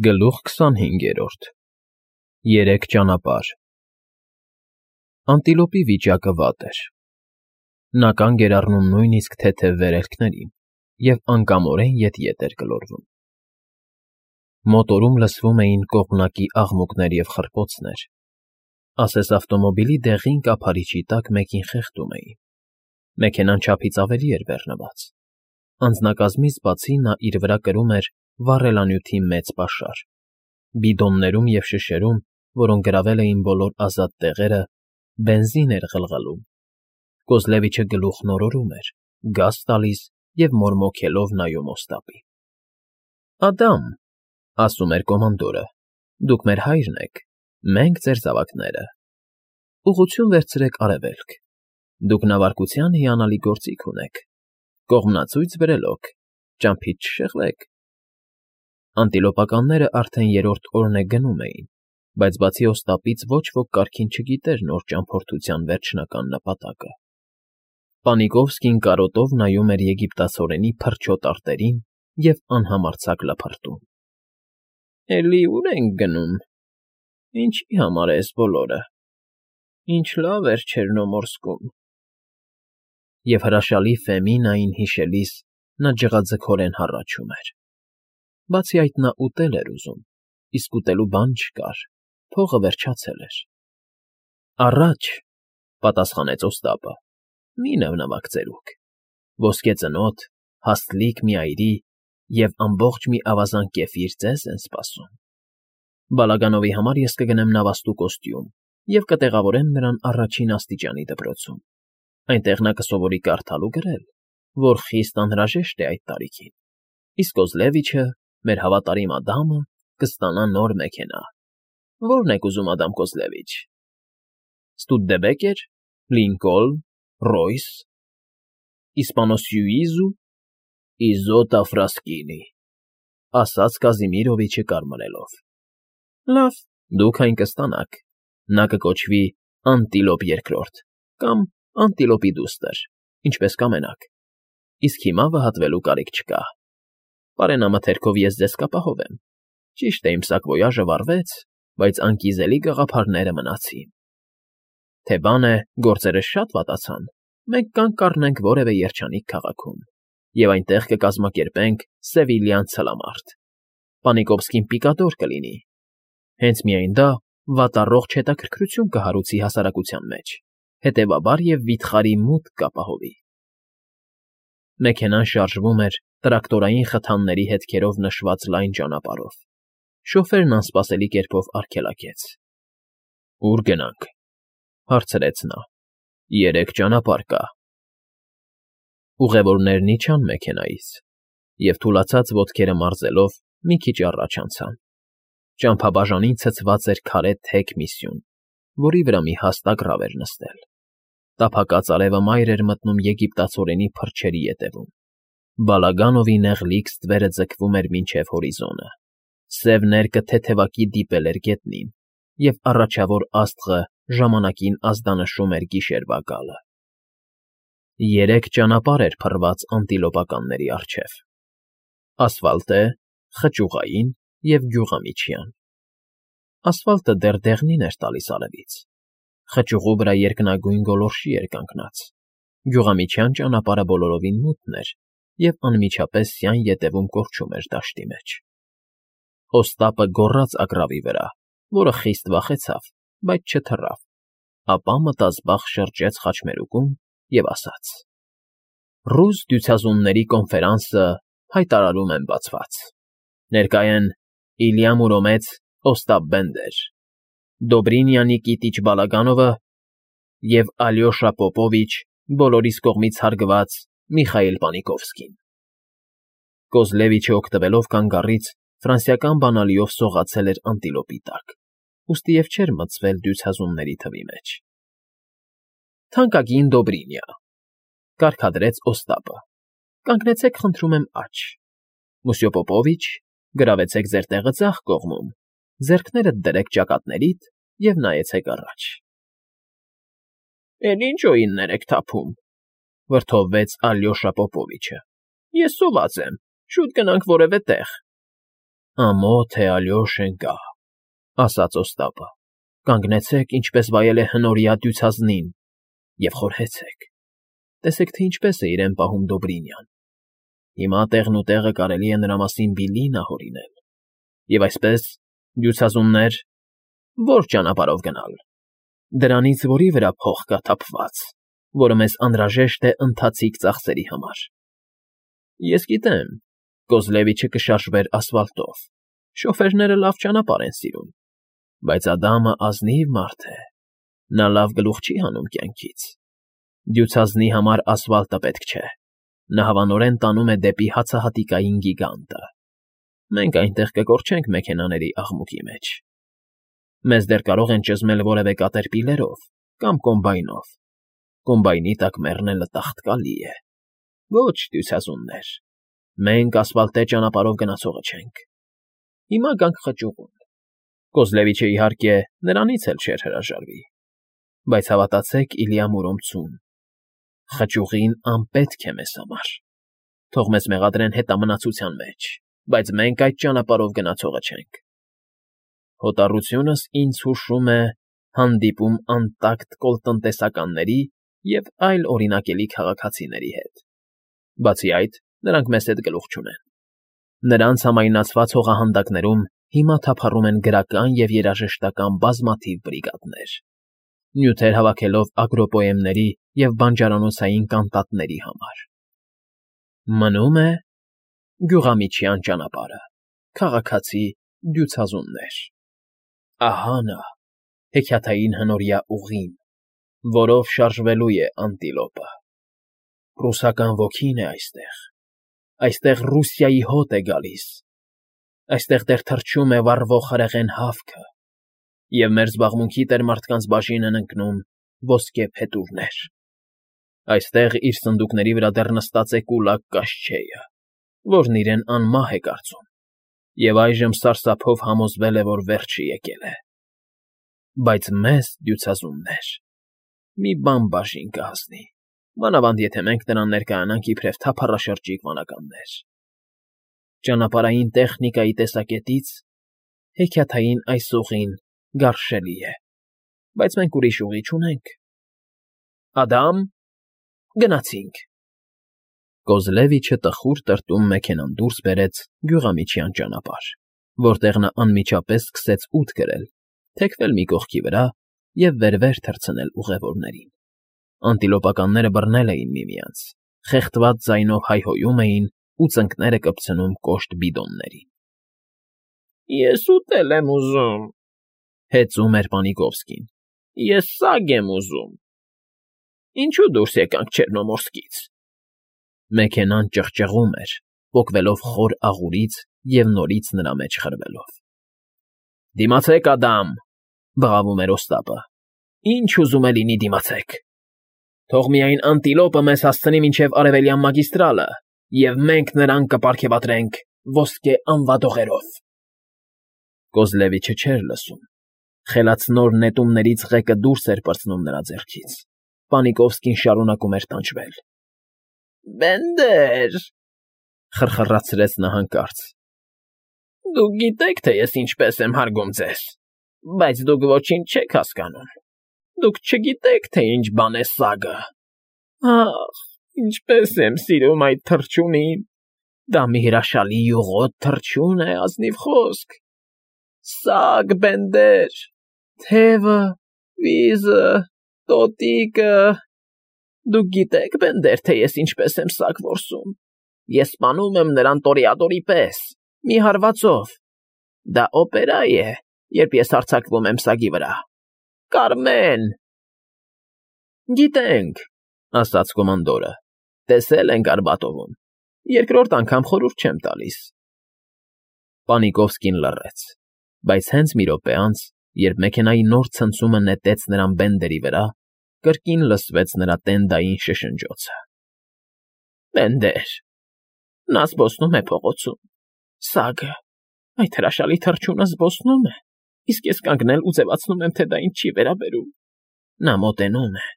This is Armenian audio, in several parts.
Գլուխ 25 Երեք ճանապարհ Անտիլոպի վիճակը վատ էր. նա կանգ էր առնում նույնիսկ թեթև վերելքներին և անկամորեն ետ էր գլորվում։ Մոտորում լսվում էին կողմնակի աղմուկներ և խռպոցներ, ասես ավտոմոբիլի դեղին կափարիչի տակ մեկին խեղդում էին։ Մեքենան չափից ավելի էր բեռնված, անձնակազմից բացի նա իր վրա կրում էր վառելանյութի մեծ պաշար, բիդոններում և շշերում, որոնք գրավել էին բոլոր ազատ տեղերը, բենզին էր ղլղլում։ Կոզլևիչը գլուխն օրորում էր, գազ տալիս և մորմոքելով նայում Օստապին։ ֊ Ադամ,֊ ասում էր կոմանդորը,֊ դուք մեր հայրն եք, մենք ձեր զավակները։ Ուղղություն վերցրեք արևելք, դուք նավարկության հիանալի գործիք ունեք, կողմնացույց բրելոք, ճամփից չշեղվեք։ Անտիլոպականները արդեն երրորդ օրն է գնում էին, բայց բացի Օստապից ոչ ոք կարգին չգիտեր նոր ճամփորդության վերջնական նպատակը։ Պանիկովսկին կարոտով նայում էր եգիպտացորենի փրչոտ արտերին և անհամարձակ լփրտում։ ֊ Էլի ու՞ր ենք գնում, ինչի համար է էս բոլորը, ինչ լավ էր Չերնոմորսկում… Եվ հրաշալի Ֆեմինային հիշելիս նա ջղաձգորեն հառաչում էր։ Բացի այդ նա ուտել էր ուզում, իսկ ուտելու բան չկար, փողը վերջացել էր։ ֊ Առաջ,֊ պատասխանեց Օստապը,֊ մի նվնվաք ծերուկ, ոսկե ծնոտ, հաստլիկ մի այրի և ամբողջ մի ավազան կեֆիր ձեզ են սպասում։ Բալագանովի համար ես կգնեմ նավաստու կոստյում և կտեղավորեմ նրան առաջին աստիճանի դպրոցում, այնտեղ նա կսովորի կարդալ ու գրել, որ խիստ անհրաժեշտ է այդ տարիքին, իսկ Կոզլևիչը, մեր հավատարիմ Ադամը, կստանա նոր մեքենա։ Ո՞րն եք ուզում, Ադամ Կոզլևիչ… Ստուդեբեկեր, Լինկոլն, Ռոյս, Իսպանոսյուիզու, Իզոտա Ֆրասկինի, ասաց Կազիմիրովիչը կարմրելով։ Լավ, դուք այն կստանաք, նա կկոչվի Անտիլոպ Երկրորդ կամ Անտիլոպի դուստր, ինչպես կամենաք, իսկ հիմա վհատվելու կարիք չկա։ Պարենամթերքով ես ձեզ կապահովեմ։ Ճիշտ է, իմ սակվոյաժը վառվեց, բայց անկիզելի գաղափարները մնացին։ Թե բան է, գործերս շատ վատացան, մենք կանգ կառնենք որևէ երջանիկ քաղաքում և այնտեղ կկազմակերպենք Սևիլյան ցլամարտ։ Պանիկովսկին պիկադոր կլինի։ Հենց միայն դա վատառողջ հետաքրքրություն կհարուցի հասարակության մեջ, հետևաբար և վիթխարի մուտք կապահովի։ Մեքենան շարժվում էր տրակտորային խթանների հետքերով նշված լայն ճանապարհով։ Շոֆերն անսպասելի կերպով արգելակեց։ ֊ Ո՞ւր գնանք,֊ հարցրեց նա։ ֊ Երեք ճանապարհ կա։ Ուղևորներն իջան մեքենայից և, թուլացած ոտքերը մարզելով, մի քիչ առաջ անցան։ Ճամփաբաժանին ցցված էր քարե թեք մի սյուն, որի վրա մի հաստ ագռավ էր նստել։ Տափակած արևը մայր էր մտնում եգիպտացորենի փրչերի ետևում։ Բալագանովի նեղլիկ ստվերը ձգվում էր մինչև հորիզոնը։ Սև ներկը թեթևակի դիպել էր գետնին, և առաջավոր աստղը ժամանակին ազդանշում էր գիշերվա գալը։ Երեք ճանապարհ էր փռված անտիլոպականների առջև. ասֆալտե, խճուղային և գյուղամիջյան։ Ասֆալտը դեռ դեղնին էր տալիս արևից, խճուղու վրա երկնագույն գոլորշի էր կանգնած, գյուղամիջյան ճանապարհը բոլորովին մութն էր և անմիջապես սյան ետևում կորչում էր դաշտի մեջ։ Օստապը գոռաց ագռավի վրա, որը խիստ վախեցավ, բայց չթռավ, ապա մտազբաղ շրջեց խաչմերուկում և ասաց. «Ռուս դյուցազունների կոնֆերանսը հայտարարում եմ բացված։ Ներկա են Իլյա Մուրոմեց, Օստապ Բենդեր, Դոբրինյանի Կիտիչ Բալագանովը և Ալյոշա Պոպովիչ, բոլորիս կողմից հարգված Միխայիլ Պանիկովսկին»։ Կոզլևիչը օգտվելով կանգառից ֆրանսիական բանալիով սողացել էր անտիլոպի տակ, ուստի և չէր մտցվել դյուցազունների թվի մեջ։ «Թանկագին Դոբրինյա,֊ կարգադրեց Օստապը,֊ կանգնեցեք խնդրում եմ աջ… Մուսյո Պոպովիչ, գրավեցեք ձեր տեղը ձախ կողմում, ձեռքներդ դրեք ճակատներիդ և նայեցեք առաջ»։ ֊ Էլի ինչ օիններ եք թափում,֊ վրդովվեց Ալյոշա Պոպովիչը,֊ ես սոված եմ, շուտ գնանք որևէ տեղ։ Ամոթ է Ալյոշեն կա, ասաց Օստապը, կանգնեցեք, ինչպես վայել է հնորյա դյուցազնին, և խորհեցեք, տեսեք, թե ինչպես է իրեն պահում Դոբրինյան, հիմա տեղն ու տեղը կարելի է նրա մասին բիլին ահորինել, և այսպես, դյուցազուններ, որ ճանապարհով գնալ, դրանից որի վրա փող կա թափված, որը մեզ անհրաժեշտ է ընթացիկ ծախսերի համար։ Ես գիտեմ, Կոզլևիչը կշարժվեր ասֆալտով, շոֆերները լավ ճանապարհ են սիրում, բայց Ադամը ազնիվ մարդ է, նա լավ գլուխ չի հանում կյանքից։ Դյուցազնի համար ասֆալտը պետք չէ, նա հավանորեն տանում է դեպի հացահատիկային գիգանտը։ Մենք այնտեղ կկորչենք մեքենաների աղմուկի մեջ։ Մեզ դեռ կարող են ճզմել որևէ կատերպիլերով կամ կոմբայնով։ Կոմբայնի տակ մեռնելը տաղտկալի է։ Ոչ, դյուցազուններ, մենք ասֆալտե ճանապարհով գնացողը չենք։ Հիմա գանք խճուղուն։ Կոզլևիչը, իհարկե, նրանից էլ չէր հրաժարվի, բայց հավատացեք Իլյա Մուրոմցուն, խճուղին անպետք է մեզ համար։ Թող մեզ մեղադրեն հետամնացության մեջ, բայց մենք այդ ճանապարհով գնացողը չենք։ Հոտառությունս ինձ հուշում է հանդիպում անտակտ կոլտնտեսականների և այլ օրինակելի քաղաքացիների հետ։ Բացի այդ, նրանք մեզ հետ գլուխ չունեն։ Նրանց համայնացված հողահանդակներում հիմա թափառում են գրական և երաժշտական բազմաթիվ բրիգադներ, նյութեր հավաքելով ագրոպոեմների և բանջարանոցային կանտատների համար։ Մնում է Գյուղամիջյան ճանապարհը, քաղաքացի դյուցազուններ։ Ահա նա, հեքիաթային հնորյա ուղին, որով շարժվելու է անտիլոպը։ Ռուսական ոգին է այստեղ, այստեղ Ռուսիայի հոտ է գալիս, այստեղ դեռ թռչում է վառվող հրեղեն հավքը, և մեր զբաղմունքի տերմարդկանց բաժին են ընկնում ոսկե փետուրներ։ Այստեղ իր սնդուկների վրա դեռ նստած է կուլակ կաշչեյը, որն իրեն անմահ է կարծում, և այժմ սարսափով համոզվել է, որ վերջը եկել է։ Բայց մեզ, դյուցազուններ, մի բան բաժին կհասնի, մանավանդ եթե մենք նրան ներկայանանք իբրև թափառաշրջիկ վանականներ։ Ճանապարհային տեխնիկայի տեսակետից հեքիաթային այս ուղին գարշելի է, բայց մենք ուրիշ ուղի չունենք։ Ադամ, գնացինք։ Կոզլևիչը տխուր տրտում մեքենան դուրս բերեց Գյուղամիջյան ճանապարհ, որտեղ նա անմիջապես սկսեց ութ գրել, թեքվել մի կողքի վրա և վեր թռցնել ուղևորներին։ Անտիլոպականները բռնել էին միմյանց, խեղդված ձայնով հայհոյում էին ու ծնկները կպցնում կոշտ բիդոններին։ Ես ուտել եմ ուզում, հեծում էր Պանիկովսկին։ Ես սագ եմ ուզում։ Ինչու դուրս եկանք Չեռնոմորսկից։ Մեքենան ճղճղում էր, պոկվելով խոր աղուրից և նորից նրա մեջ խրվելով։ Դիմացեք, Ադամ, բղավում էր Օստապը։ Ինչ ուզում է լինի դիմացեք։ Թող միայն անտիլոպը մեզ հասցնի մինչև արևելյան մագիստրալը, և մենք նրան կպարգևատրենք ոսկե անվադողերով։ Կոզլևիչը չէր լսում։ Խելացնոր նետումներից ղեկը դուրս էր պրծնում նրա ձեռքից։ Պանիկովսկին շարունակում էր տանջվել։ Բենդեր, խրխռացրեց նա հանկարծ։ Դուք գիտեք, թե ես ինչպես եմ հարգում ձեզ, բայց դուք ոչինչ չեք հասկանում։ Դուք չգիտեք, թե ինչ բան է սագը։ Ախ, ինչպես եմ սիրում այդ թռչունին։ Դա մի հրաշալի յուղոտ թռչուն է, ազնիվ խոսք։ Սագ, Բենդեր, թևը, վիզը, տոտիկը։ Դուք գիտեք, Բենդեր, թե ես ինչպես եմ սագ որսում։ Ես սպանում եմ նրան տորեադորի պես, մի հարվածով։ Դա օպերա է, երբ ես հարձակվում եմ սագի վրա։ Կարմեն։ Գիտենք, ասաց կոմանդորը, տեսել ենք Արբատովում, երկրորդ անգամ խորհուրդ չեմ տալիս։ Պանիկովսկին լռեց, բայց հենց մի րոպե անց, երբ մեքենայի նոր ցնցումը նետեց նրան Բենդերի վրա, կրկին լսվեց նրա տենդային շշնջոցը։ Բենդեր, նա զբոսնում է փողոցում, սագը, այդ հրաշալի թռչունը զբոսնում է, իսկ ես կանգնել ու ձևացնում եմ, թե դա ինձ չի վերաբերում։ Նա մոտենում է,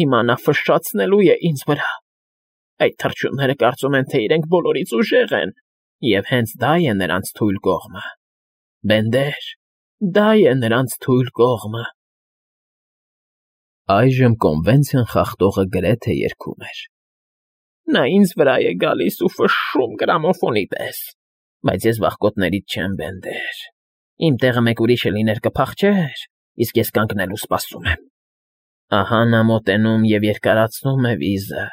հիմա նա ֆշշացնելու է ինձ վրա։ Այդ թռչունները կարծում են, թե իրենք բոլորից ուժեղ են, Եվ հենց դա է նրանց թույլ կողմը։ Բենդեր, դա է նրանց թույլ կողմը։ Այժմ կոնվենցիան խախտողը գրեթե երգում էր. Նա ինձ վրա է գալիս ու ֆշշում գրամոֆոնի պես, բայց ես վախկոտներից չեմ, Բենդեր։ Իմ տեղը մեկ ուրիշը լիներ կփախչեր, իսկ ես կանգնել ու սպասում եմ։ Ահա նա մոտենում և երկարացնում է վիզը,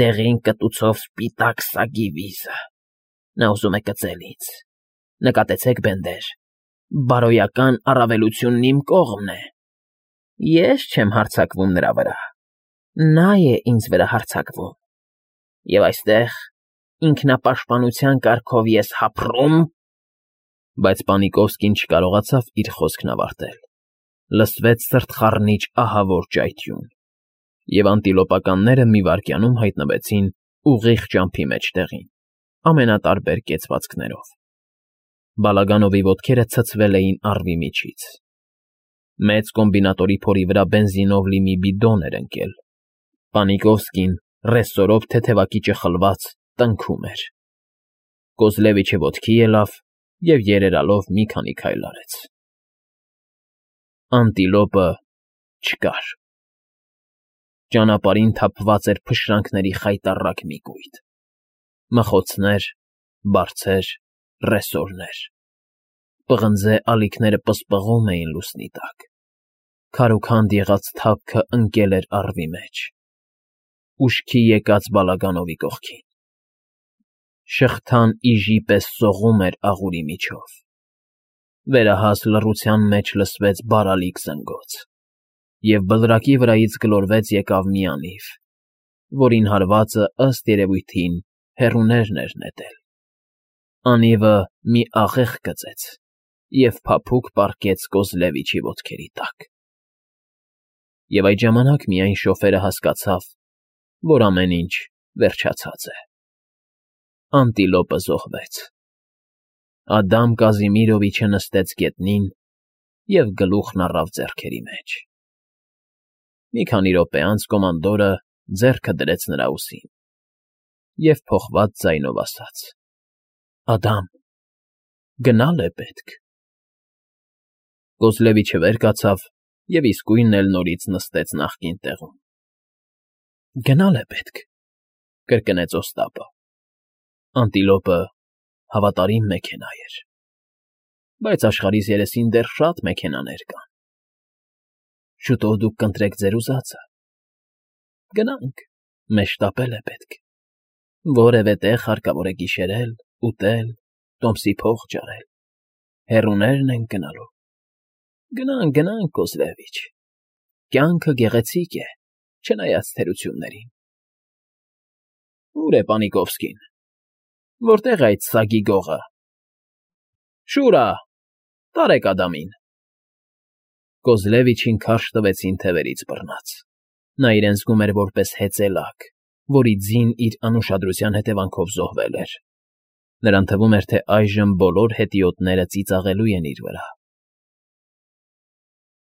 դեղին կտուցով սպիտակ սագի վիզը։ Նա ուզում է կծել ինձ։ Նկատեցեք, Բենդեր, բարոյական առավելությունն իմ կողմն է։ Ես չեմ հարձակվում նրա վրա։ Նա է ինձ վրա հարձակվում։ Եվ այստեղ ինքնապաշտպանության կարգով ես հափռում… Բայց Պանիկովսկին չկարողացավ իր խոսքն ավարտել։ Լսվեց սրտխառնիչ ահավոր ճայթյուն, և անտիլոպականները մի վայրկյանում հայտնվեցին ուղիղ ճամփի մեջտեղին, ամենատարբեր կեցվածքներով։ Բալագանովի ոտքերը ցցվել էին առվի միջից։ Մեծ կոմբինատորի փորի վրա բենզինով լի մի բիդոն էր ընկել։ Պանիկովսկին, ռեսորով թեթևակիճը խլված, տնքում էր։ Կոզլևիչը ոտքի ելավ և երերալով մի քանի քայլ արեց։ Անտիլոպը չկար։ Ճանապարհին թափված էր փշրանքների խայտառակ մի կույտ։ Մխոցներ, բարձեր, ռեսորներ։ Պղնձե ալիքները պսպղում էին լուսնի տակ։ Քարուքանդ եղած թափքը ընկել էր առվի մեջ։ Ուշքի եկած Բալագանովի կողքին։ Շղթան իժի պես սողում էր աղուրի միջով։ Վերահաս լռության մեջ լսվեց բարալիկ զնգոց, և բլրակի վրայից գլորվեց եկավ մի անիվ, որին հարվածը, ըստ երևույթին, հեռուներն էր նետել։ Անիվը մի աղեղ գծեց և փափուկ պառկեց Կոզլևիչի ոտքերի տակ։ Եվ այդ ժամանակ միայն շոֆերը հասկացավ, որ ամեն ինչ վերջացած է։ Անտիլոպը զոհվեց։ Ադամ Կազիմիրովիչը նստեց գետնին և գլուխն առավ ձեռքերի մեջ։ Մի քանի րոպե անց կոմանդորը ձեռքը դրեց նրա ուսին և փոխված ձայնով ասաց. Ադամ, գնալ է պետք։ Կոզլևիչը վեր կացավ և իսկույն էլ նորից նստեց նախկին տեղում։ Գնալ է պետք, կրկնեց Օստապը։ Անտիլոպը հավատարիմ մեքենա էր, բայց աշխարհիս երեսին դեռ շատ մեքենաներ կան։ Շուտով դուք կընտրեք ձեր ուզածը։ Գնանք, մեզ շտապել է պետք։ Որևէ տեղ հարկավոր է գիշերել, ուտել, տոմսի փող ջարել։ Հեռուներն ենք գնալու։ Գնանք, գնանք, Կոզլևիչ։ Կյանքը գեղեցիկ է, չնայած թերություններին։ Ո՞ւր է Պանիկովսկին։ Որտե՞ղ է այդ սագի գողը։ Շուրա, տարեք Ադամին։ Կոզլևիչին քարշ տվեցին թևերից բռնած։ Նա իրեն զգում էր որպես հեծելակ, որի ձին իր անուշադրության հետևանքով զոհվել էր։ Նրան թվում էր, թե այժմ բոլոր հետիոտները ծիծաղելու են իր վրա։